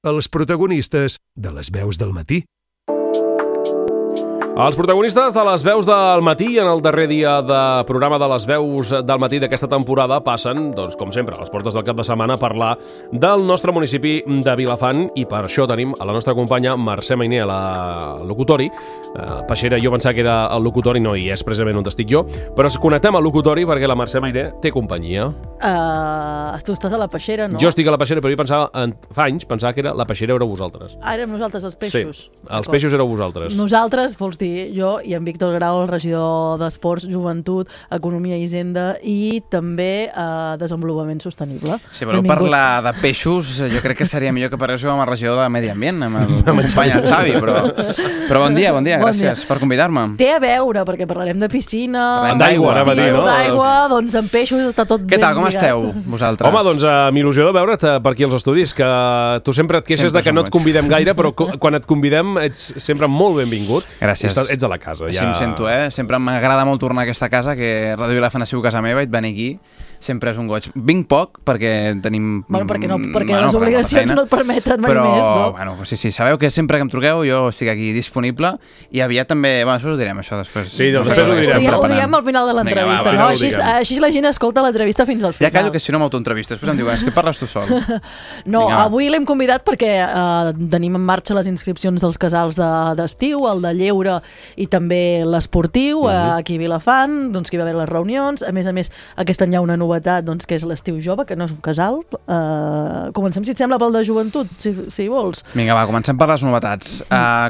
els protagonistes de les veus del matí. Els protagonistes de les veus del matí en el darrer dia de programa de les veus del matí d'aquesta temporada passen, doncs, com sempre, a les portes del cap de setmana a parlar del nostre municipi de Vilafant, i per això tenim a la nostra companya Mercè Mainer a la locutori. Peixera, jo pensava que era el locutori, no hi és precisament on estic jo, però connectem al locutori perquè la Mercè Mainer té companyia. Tu estàs a la Peixera, no? Jo estic a la Peixera, però jo pensava, fa anys, pensava que era la Peixera éreu vosaltres. Érem nosaltres els peixos. Sí, els peixos éreu vosaltres. Nosaltres, vols dir, jo i en Víctor Grau, el regidor d'Esports, Joventut, Economia i Hisenda i també Desenvolupament Sostenible. Si voleu parlar de peixos, jo crec que seria millor que parléssiu amb el regidor de Medi Ambient, amb el company el Xavi, però bon dia, gràcies per convidar-me. Té a veure, perquè parlarem de piscina, d'aigua, doncs amb peixos està tot Què tal, com esteu, vosaltres? Home, doncs amb il·lusió de veure't per aquí als estudis, que tu sempre et queixes de que no et convidem gaire, però quan et convidem ets sempre molt benvingut. Gràcies. Ets de la casa. Així em sento, Sempre m'agrada molt tornar a aquesta casa, que Ràdio Vilafant ha sigut casa meva, i et venir aquí sempre és un goig. Vinc poc perquè tenim... Bueno, perquè les obligacions no et permeten mai més, no? Però, bueno, sí, sabeu que sempre que em truqueu jo estic aquí disponible, i aviat també... Bueno, després ho direm, això, després. Sí, després ho direm. Ho diem al final de l'entrevista, no? Així la gent escolta l'entrevista fins al final. Ja callo, que si no m'autoentrevisto. Després em diuen, és que parles tu sol. No, avui l'hem convidat perquè tenim en marxa les inscripcions dels casals d'estiu, el de lleure i també l'esportiu, aquí a Vilafant, doncs que hi va haver les reunions. A més, aquest any hi ha una novetat, doncs, que és l'estiu jove, que no és un casal. Comencem, si et sembla, pel de joventut, si vols. Vinga, va, comencem per les novetats.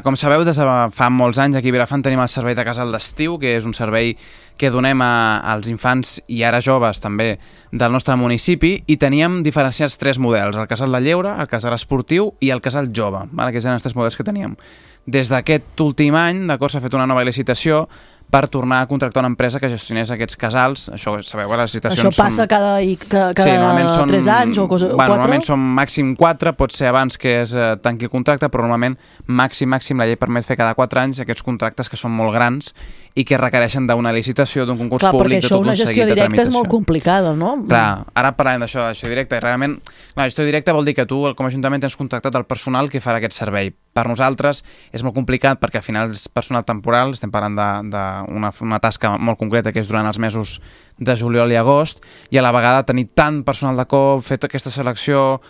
Com sabeu, des de fa molts anys aquí a Vilafant tenim el servei de casal d'estiu, que és un servei que donem als infants i ara joves també del nostre municipi, i teníem diferenciats 3 models, el casal de lleure, el casal esportiu i el casal jove, que eren els 3 models que teníem. Des d'aquest últim any, d'acord, s'ha fet una nova licitació per tornar a contractar una empresa que gestionés aquests casals. Això, sabeu, les licitacions això passa cada 3 anys o 4? Normalment són màxim 4, pot ser abans que es tanqui el contracte, però normalment màxim la llei permet fer cada 4 anys aquests contractes que són molt grans i que requereixen d'una licitació, d'un concurs públic, de tot un seguit de tramitació. Clar, perquè això, una gestió directa és molt complicada, no? Clar, ara parlem d'això, de gestió directa, i realment la gestió directa vol dir que tu, com a Ajuntament, tens contractat el personal que farà aquest servei. Per nosaltres és molt complicat perquè al final és personal temporal, estem parlant d'una tasca molt concreta que és durant els mesos de juliol i agost, i a la vegada tenir tant personal de cop, fer aquesta selecció,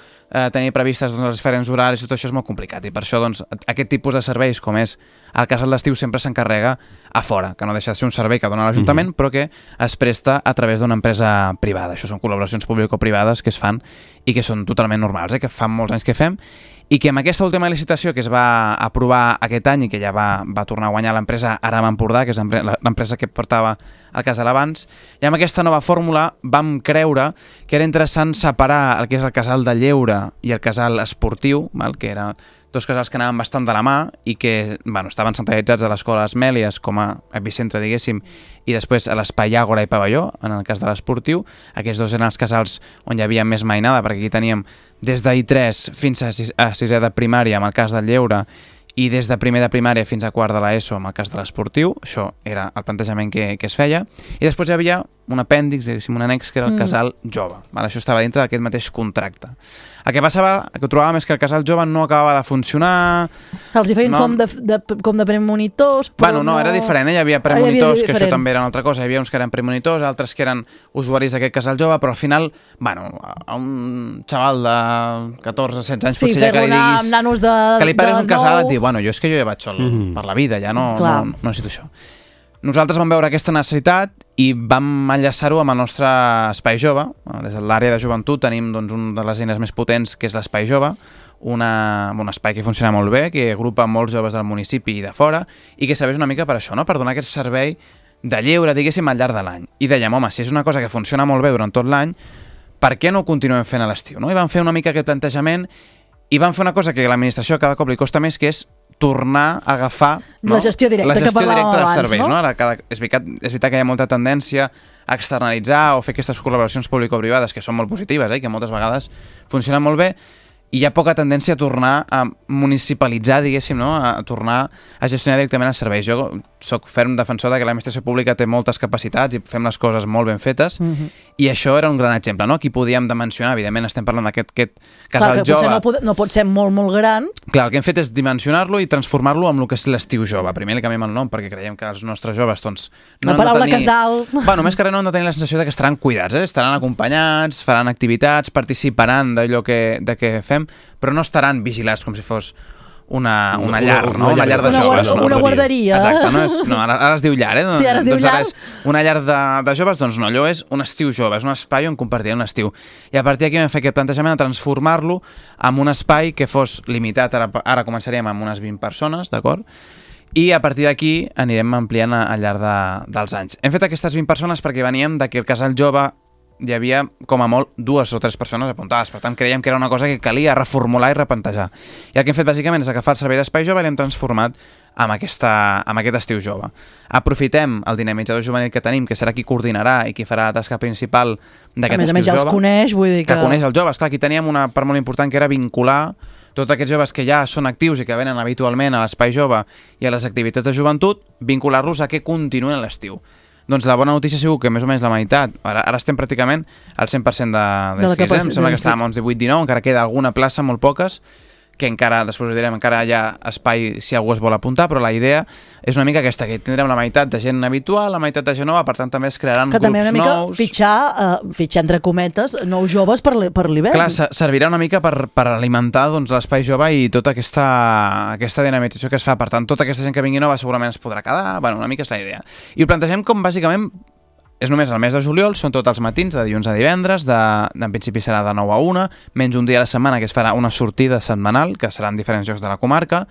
tenir previstes els diferents horaris, tot això és molt complicat, i per això aquest tipus de serveis, com és el casal d'estiu, sempre s'encarrega a fora, que no deixa de ser un servei que dona l'Ajuntament, però que es presta a través d'una empresa privada. Això són col·laboracions público-privades que es fan i que són totalment normals, que fa molts anys que fem, i que amb aquesta última licitació que es va aprovar aquest any i que ja va tornar a guanyar l'empresa Aram Empordà, que és l'empresa que portava el casal abans, i amb aquesta nova fórmula vam creure que era interessant separar el que és el casal de lleure i el casal esportiu, que eren 2 casals que anaven bastant de la mà i que estaven centralitzats a l'escola Esmèlies com a epicentre, diguéssim, i després a l'espai Àgora i Pavelló, en el cas de l'esportiu. Aquests 2 eren els casals on hi havia més mainada, perquè aquí teníem des d'I3 fins a 6è de primària, amb el cas del lleure, i des de primer de primària fins a quart de l'ESO, amb el cas de l'esportiu. Això era el plantejament que es feia. I després hi havia un apèndix, diguéssim, un annex, que era el casal jove. Això estava dintre d'aquest mateix contracte. El que passava, el que trobàvem és que el casal jove no acabava de funcionar. Els hi feien com de premonitors, però no, era diferent. Hi havia premonitors, que això també era una altra cosa. Hi havia uns que eren premonitors, altres que eren usuaris d'aquest casal jove, però al final, a un xaval de 14-16 anys, potser ja que li diguis que li pares un casal, et diu, jo és que jo ja vaig sol per la vida, ja no necessito això. Nosaltres vam veure aquesta necessitat i vam enllaçar-ho amb el nostre Espai Jove. Des de l'àrea de joventut tenim una de les eines més potents, que és l'Espai Jove, un espai que funciona molt bé, que agrupa molts joves del municipi i de fora, i que serveix una mica per això, per donar aquest servei de lleure, diguéssim, al llarg de l'any. I dèiem, home, si és una cosa que funciona molt bé durant tot l'any, per què no ho continuem fent a l'estiu? I vam fer una mica aquest plantejament i vam fer una cosa que a l'administració cada cop li costa més, que és tornar a agafar la gestió directa que parlàvem dels abans, serveis. És veritat que hi ha molta tendència a externalitzar o fer aquestes col·laboracions público-privades que són molt positives, que moltes vegades funcionen molt bé, i hi ha poca tendència a tornar a municipalitzar, diguéssim, a tornar a gestionar directament els serveis. Jo soc ferm defensor de que l'administració pública té moltes capacitats i fem les coses molt ben fetes, i això era un gran exemple, no? Aquí podíem dimensionar, evidentment estem parlant d'aquest casal jove. Clar, que potser no pot ser molt, molt gran. Clar, el que hem fet és dimensionar-lo i transformar-lo en el que és l'estiu jove. Primer li canviem el nom perquè creiem que els nostres joves, doncs... La paraula casal... Bueno, més que res no han de tenir la sensació que estaran cuidats, estaran acompanyats, faran activitats, participaran d'allò que fem, però no estaran vigilats com si fos una llar, no? Una llar de joves. Una guarderia. Exacte, ara es diu llar, Sí, ara es diu llar. Una llar de joves, doncs no, allò és un estiu jove, és un espai on compartir un estiu. I a partir d'aquí vam fer aquest plantejament de transformar-lo en un espai que fos limitat, ara començaríem amb unes 20 persones, d'acord? I a partir d'aquí anirem ampliant al llarg dels anys. Hem fet aquestes 20 persones perquè veníem que el casal jove hi havia, com a molt, 2 o 3 persones apuntades. Per tant, creiem que era una cosa que calia reformular i replantejar. I el que hem fet, bàsicament, és agafar el servei d'espai jove i l'hem transformat amb aquest estiu jove. Aprofitem el dinamitzador juvenil que tenim, que serà qui coordinarà i qui farà la tasca principal d'aquest estiu jove. A més ja els coneix, vull dir que... Que coneix els joves. Clar, aquí teníem una part molt important que era vincular tots aquests joves que ja són actius i que venen habitualment a l'espai jove i a les activitats de joventut, vincular-los a que continuïn a l'estiu. Doncs la bona notícia ha sigut que més o menys la meitat, ara estem pràcticament al 100% d'inscrits, em sembla que estàvem a uns 18-19, encara queda alguna plaça, molt poques, que encara, després ho direm, encara hi ha espai si algú es vol apuntar, però la idea és una mica aquesta, que tindrem la meitat de gent habitual, la meitat de gent nova, per tant també es crearan grups nous. Que també una mica fitxar entre cometes nous joves per l'hivern. Clar, servirà una mica per alimentar l'espai jove i tota aquesta dinamització que es fa. Per tant, tota aquesta gent que vingui nova segurament es podrà quedar, bueno, una mica és la idea. I ho plantegem com bàsicament és només el mes de juliol, són tots els matins, de dilluns a divendres, en principi serà de 9 a 1, menys un dia a la setmana que es farà una sortida setmanal, que serà en diferents llocs de la comarca.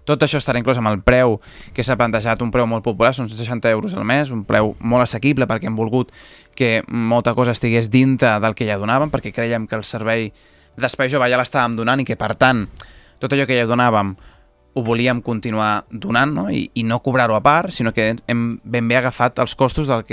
Tot això estarà inclòs amb el preu que s'ha plantejat, un preu molt popular, són 60 euros al mes, un preu molt assequible perquè hem volgut que molta cosa estigués dintre del que ja donàvem, perquè creiem que el servei d'espai jove ja l'estàvem donant i que, per tant, tot allò que ja donàvem ho volíem continuar donant, no? I no cobrar-ho a part, sinó que hem ben bé agafat els costos dels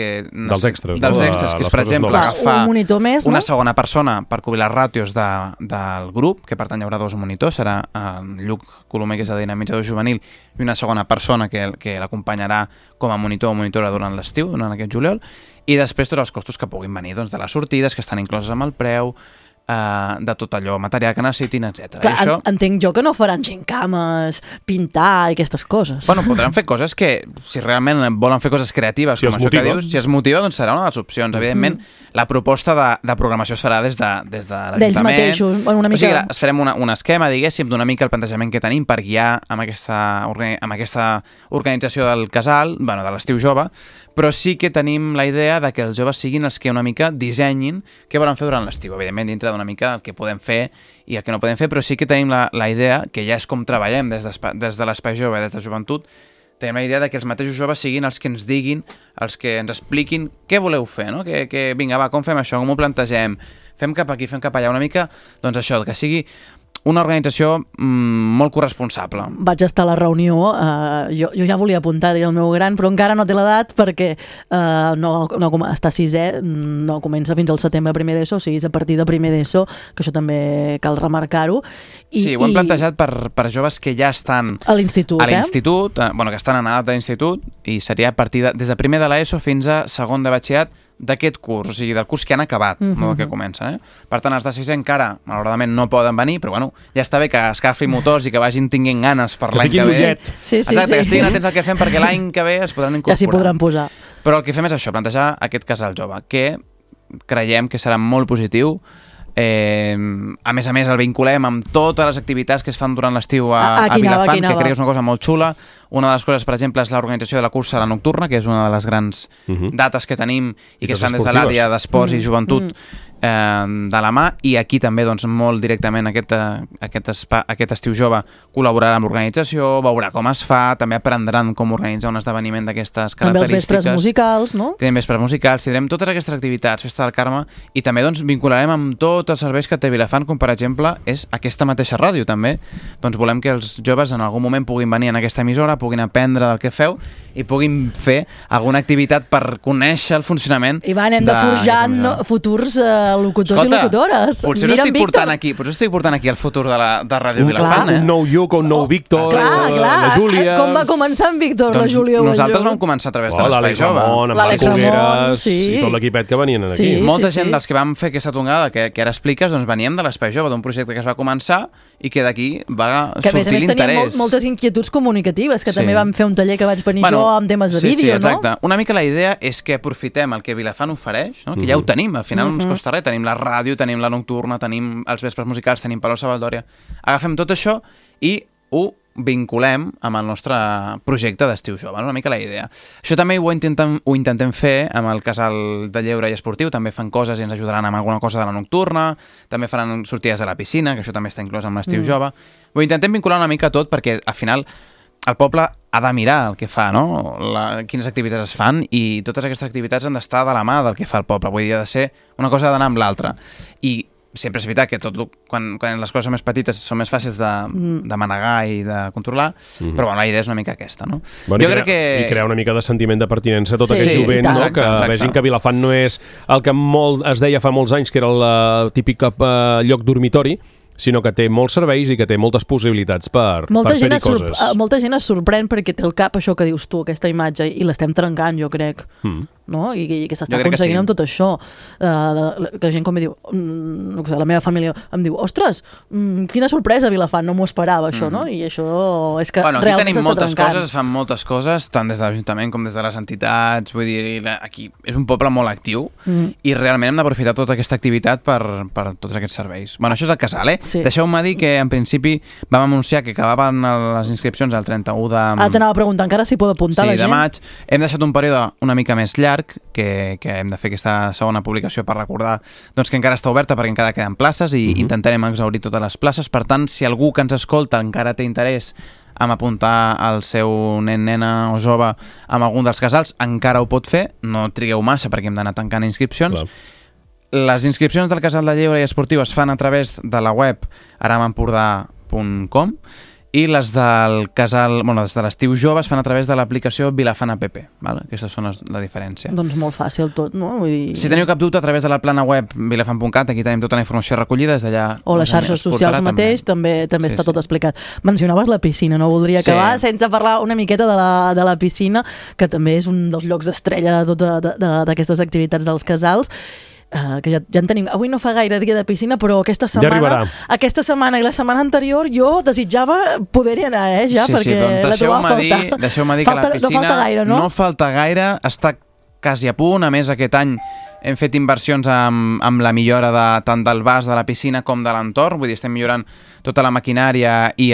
extras, que és, per exemple, agafar un monitor més, una segona persona per cobrir les ràtios del grup, que per tant hi haurà 2 monitors, serà en Lluc Colomer, que és el dinamitzador juvenil, i una segona persona que l'acompanyarà com a monitor o monitora durant l'estiu, durant aquest juliol, i després tots els costos que puguin venir de les sortides, que estan incloses amb el preu, de tot allò, material que necessitin, etc. Clar, això... entenc jo que no faran gincames, pintar i aquestes coses. Bueno, podran fer coses que, si realment volen fer coses creatives, com això que dius, si es motiva, doncs serà una de les opcions. Evidentment, la proposta de programació es farà des de l'Ajuntament. D'ells mateixos, una mica... O sigui, es farem un esquema, diguéssim, d'una mica el plantejament que tenim per guiar amb aquesta organització del casal, bueno, de l'estiu jove, però sí que tenim la idea de que els joves siguin els que una mica dissenyin què volen fer durant l'estiu. Evidentment, dintre d'una mica el que podem fer i el que no podem fer, però sí que tenim la idea, que ja és com treballem des de l'espai jove, des de joventut, tenim la idea de que els mateixos joves siguin els que ens diguin, els que ens expliquin què voleu fer, no? Que vinga, va, com fem això, com ho plantegem, fem cap aquí, fem cap allà, una mica, doncs això, que sigui una organització molt corresponsable. Vaig estar a la reunió, jo ja volia apuntar-hi el meu gran, però encara no té l'edat perquè està a 6è, no comença fins al setembre primer d'ESO, o sigui, és a partir de primer d'ESO, que això també cal remarcar-ho. Sí, ho hem plantejat per joves que ja estan a l'institut, que estan en edat d'institut, i seria a partir des de primer de l'ESO fins a segon de batxillerat d'aquest curs, o sigui, del curs que han acabat, no del que comença. Per tant, els de 6è encara, malauradament, no poden venir, però bueno, ja està bé que escalfi motors i que vagin tinguent ganes per l'any que ve. Exacte, que estiguin atents al que fem perquè l'any que ve es podran incorporar. Ja s'hi podran posar. Però el que fem és això, plantejar aquest casal jove, que creiem que serà molt positiu. A més, el vinculem amb totes les activitats que es fan durant l'estiu a Vilafant, que crec que és una cosa molt xula. Una de les coses, per exemple, és l'organització de la cursa a la nocturna, que és una de les grans dates que tenim i que es fan des de l'àrea d'esports i joventut de la mà, i aquí també doncs, molt directament aquest estiu jove col·laborarà amb l'organització, veurà com es fa, també aprendran com organitzar un esdeveniment d'aquestes característiques. També els vespres musicals, no? Tindrem vespres musicals, tindrem totes aquestes activitats, Festa del Carme, i també doncs, vincularem amb tots els serveis que té Vilafant, com per exemple és aquesta mateixa ràdio també. Doncs volem que els joves en algun moment puguin venir en aquesta emissora, puguin aprendre del que feu i puguin fer alguna activitat per conèixer el funcionament. I hem de forjar futurs locutors i locutores. Potser estic portant aquí el futur de Ràdio Vilafant, Un nou Lluc, un nou Víctor, la Júlia... Com va començar en Víctor, la Júlia o el Lluc? Nosaltres vam començar a través de l'Espai Jove. L'Àlex Ramon, i tot l'equipet que venien aquí. Molta gent dels que vam fer aquesta tongada que ara expliques, doncs veníem de l'Espai Jove, d'un projecte que es va començar i que d'aquí va sortir l'interès. Que a més teníem moltes inquietuds comunicatives, que també vam fer un taller que vaig venir jo amb temes de vídeo, no? Exacte. Una mica la idea és que aprofitem el que Vilafant ofereix, que ja ho tenim, al final no ens costa res, tenim la ràdio, tenim la nocturna, tenim els vespres musicals, tenim Palau Savaldòria. Agafem tot això i ho vinculem amb el nostre projecte d'Estiu Jove, una mica la idea. Això també ho intentem fer amb el Casal de Lleure i Esportiu, també fan coses i ens ajudaran amb alguna cosa de la nocturna, també faran sortides a la piscina, que això també està inclòs amb l'Estiu Jove. Ho intentem vincular una mica tot perquè al final el poble ha de mirar el que fa, no? Quines activitats es fan i totes aquestes activitats han d'estar de la mà del que fa el poble, vull dir, ha de ser una cosa ha d'anar amb l'altra. I sempre és veritat que quan les coses són més petites són més fàcils de manegar i de controlar, però la idea és una mica aquesta, no? Jo crec que... I crear una mica de sentiment de pertinença a tot aquest jovent, no? Que vegin que Vilafant no és el que es deia fa molts anys, que era el típic lloc dormitori, sinó que té molts serveis i que té moltes possibilitats per fer-hi coses. Molta gent es sorprèn perquè té el cap això que dius tu, aquesta imatge, i l'estem trencant, jo crec. No? I que s'està aconseguint amb tot això. Que la gent com diu, la meva família em diu, ostres, quina sorpresa Vilafant, no m'ho esperava això, no? I això és que realment s'està trencant. Aquí tenim moltes coses, es fan moltes coses, tant des de l'Ajuntament com des de les entitats, vull dir, aquí és un poble molt actiu i realment hem d'aprofitar tota aquesta activitat per tots aquests serveis. Bueno, això és el casal, Sí. Deixeu-me dir que en principi vam anunciar que acabaven les inscripcions el 31 de... t'anava a preguntar encara si pot apuntar la gent. Sí, de maig. Hem deixat un període una mica més llarg, que hem de fer aquesta segona publicació per recordar doncs, que encara està oberta perquè encara queden places i intentarem exhaurir totes les places. Per tant, si algú que ens escolta encara té interès en apuntar el seu nen, nena o jove amb algun dels casals, encara ho pot fer. No trigueu massa perquè hem d'anar tancant inscripcions. Clar. Les inscripcions del Casal de Lleure i Esportiu es fan a través de la web aramempordà.com i les del casal, les de l'Estiu Jove es fan a través de l'aplicació Vilafant App. Aquestes són la diferència. Doncs molt fàcil tot, no? Vull dir... Si teniu cap dubte, a través de la plana web vilafant.cat, aquí tenim tota la informació recollida des d'allà. O les xarxes socials mateix, també està tot explicat. Mencionaves la piscina, no voldria acabar sense parlar una miqueta de la piscina, que també és un dels llocs estrella d'aquestes activitats dels casals. Que ja en tenim. Avui no fa gaire dia de piscina, però aquesta setmana i la setmana anterior jo desitjava poder-hi anar, perquè la trobava a faltar. Deixeu-me dir que la piscina no falta gaire, no? No falta gaire, està quasi a punt. A més, aquest any hem fet inversions amb la millora tant del vas de la piscina com de l'entorn, vull dir, estem millorant tota la maquinària i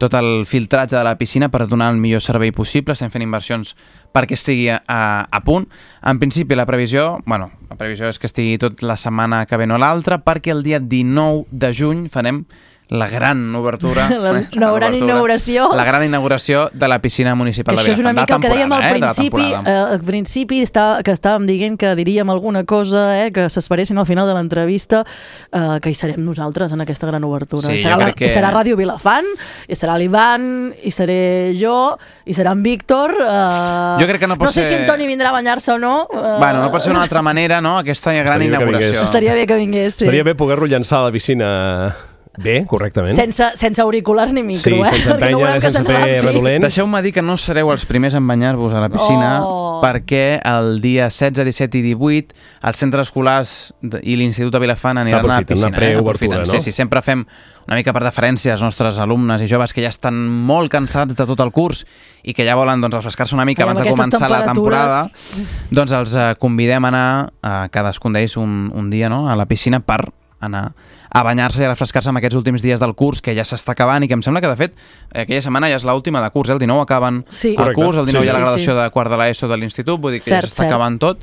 tot el filtratge de la piscina per donar el millor servei possible. Estem fent inversions perquè estigui a punt. En principi, la previsió és que estigui tot la setmana que ve o l'altra, perquè el dia 19 de juny farem la gran obertura, la gran inauguració de la piscina municipal de Vilafant. Això és una mica el que dèiem al principi, que estàvem dient que diríem alguna cosa, que s'esperessin al final de l'entrevista, que hi serem nosaltres en aquesta gran obertura. Sí, serà Ràdio Vilafant, i serà l'Ivan, i seré jo, i serà en Víctor. Jo crec que no pot ser... No sé si en Toni vindrà a banyar-se o no. No pot ser d'una altra manera, no? Aquesta gran inauguració. Estaria bé que vingués, sí. Estaria bé poder-lo llançar a la piscina... Bé, correctament. Sense auriculars ni micro, sense empènyer, sense fer redolent. Deixeu-me dir que no sereu els primers en banyar-vos a la piscina, perquè el dia 16, 17 i 18 els centres escolars i l'Institut de Vilafant aniran a la piscina. Preobertura, no? Sí, sempre fem una mica per deferència als nostres alumnes i joves que ja estan molt cansats de tot el curs i que ja volen refrescar-se una mica abans de començar la temporada. Doncs els convidem a anar a cadascun d'ells un dia a la piscina per anar a banyar-se i a refrescar-se en aquests últims dies del curs, que ja s'està acabant i que em sembla que, de fet, aquella setmana ja és l'última de curs, el 19 acaben el curs, el 19 hi ha la graduació de quart de l'ESO de l'institut, vull dir que ja s'està acabant tot,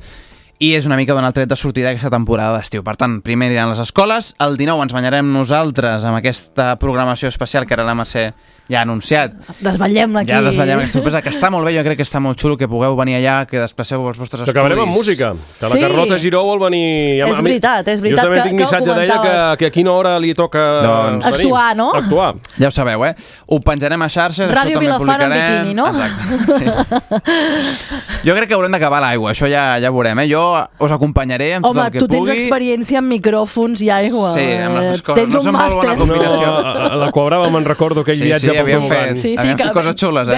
i és una mica donar el tret de sortida d'aquesta temporada d'estiu. Per tant, primer aniran les escoles, el 19 ens banyarem nosaltres amb aquesta programació especial que ara la Mercè ja anunciat. Desvetllem aquí. Ja desvetllem aquesta sorpresa, que està molt bé, jo crec que està molt xulo que pugueu venir allà, que desplaceu els vostres estudis. Que acabarem amb música, que la Carlota Giró vol venir... És veritat justament tinc missatge d'ella que a quina hora li toca actuar, no? Actuar. Ja ho sabeu, Ho penjarem a xarxes, Ràdio Vilafant en biquini, no? Exacte, sí. Jo crec que haurem d'acabar l'aigua, això ja veurem, Jo us acompanyaré amb tot el que pugui. Home, tu tens experiència en micròfons i aigua. Sí, amb les coses. Tens un màster. A la Quabrava me'n recordo aquell viatge pel tobogan. Havíem fet coses xules,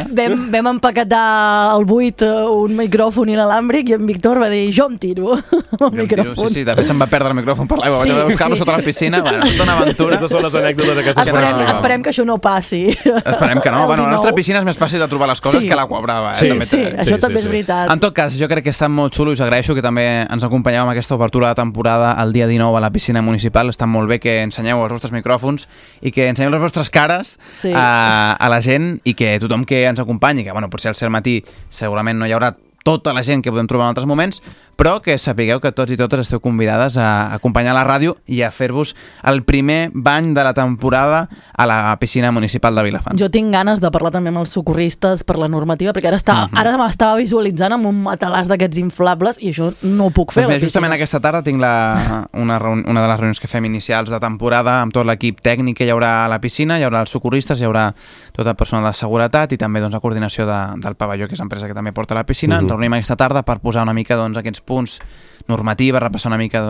Vam empaquetar al buit un micròfon inalàmbric i en Víctor va dir, jo em tiro el micròfon. Sí, de fet se'm va perdre el micròfon per l'aigua, vaig haver de buscar-lo sota la piscina, tota una aventura. Aquestes són les anècdotes aquestes. Esperem que això no passi. Esperem que no. Bueno, a la nostra piscina és més fàcil de trobar les coses que la Quabrava. Sí, això també és veritat. En tot cas, jo crec que està molt xulo i us agraeixo que també ens acompanyeu amb aquesta obertura de temporada el dia 19 a la piscina municipal. Està molt bé que ensenyeu els vostres micròfons i que ensenyeu les vostres cares a la gent i que tothom que ens acompanyi, que potser al ser al matí segurament no hi haurà tota la gent que podem trobar en altres moments, però que sapigueu que tots i totes esteu convidades a acompanyar la ràdio i a fer-vos el primer bany de la temporada a la piscina municipal de Vilafant. Jo tinc ganes de parlar també amb els socorristes per la normativa, perquè ara m'estava visualitzant amb un matalàs d'aquests inflables i això no ho puc fer. Justament aquesta tarda tinc una de les reunions que fem inicials de temporada amb tot l'equip tècnic que hi haurà a la piscina, hi haurà els socorristes, hi haurà tot el personal de seguretat i també la coordinació del pavelló, que és l'empresa que també porta la piscina. Ens reunim aquesta tarda per posar una mica aquests punts normatives, repassar una mica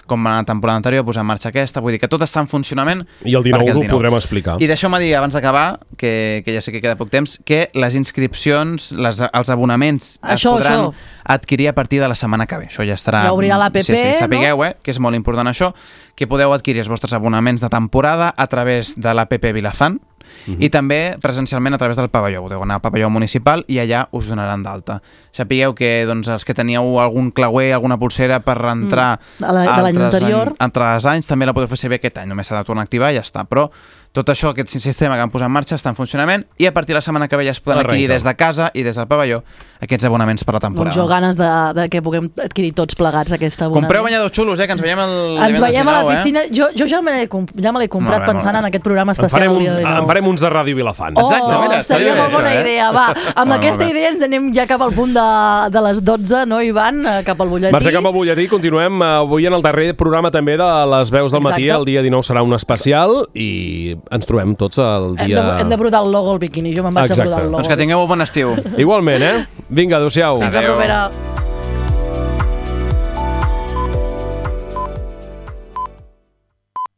com va la temporada anterior, posar en marxa aquesta, vull dir que tot està en funcionament. I el 19 ho podrem explicar. I deixeu-me dir, abans d'acabar, que ja sé que queda poc temps, que les inscripcions, els abonaments es podran adquirir a partir de la setmana que ve. Això ja estarà... Ja obrirà l'APP, sí, sapigueu, que és molt important això, que podeu adquirir els vostres abonaments de temporada a través de l'APP Vilafant, i també presencialment a través del pavelló. Podeu anar al pavelló municipal i allà us donaran d'alta. Sapigueu que els que teníeu algun clauer, alguna pulsera per entrar altres anys, també la podeu fer servir aquest any. Només s'ha de tornar a activar i ja està. Però tot això, aquest sistema que vam posar en marxa està en funcionament i a partir de la setmana que ve ja es poden adquirir des de casa i des del pavelló aquests abonaments per la temporada. Doncs jo ganes de que puguem adquirir tots plegats aquest abonament. Compreu banyadors xulos, que ens veiem Ens veiem a la piscina. Jo ja me l'he comprat pensant en aquest programa especial del dia de 19. En farem uns de Ràdio Vilafant. Exacte, mira. Seria molt bona idea. Va, amb aquesta idea ens anem ja cap al punt de les 12, no, Ivan? Cap al butlletí. Marxa cap al butlletí. Continuem avui en el darrer programa també de les veus del matí. El dia 19 serà un especial i ens trobem tots el dia... Hem de brodar el logo al biquini. Jo me'n vaig a brodar el logo. Doncs que tingueu un bon estiu. Igualment, Vinga, adéu-siau. Fins la propera.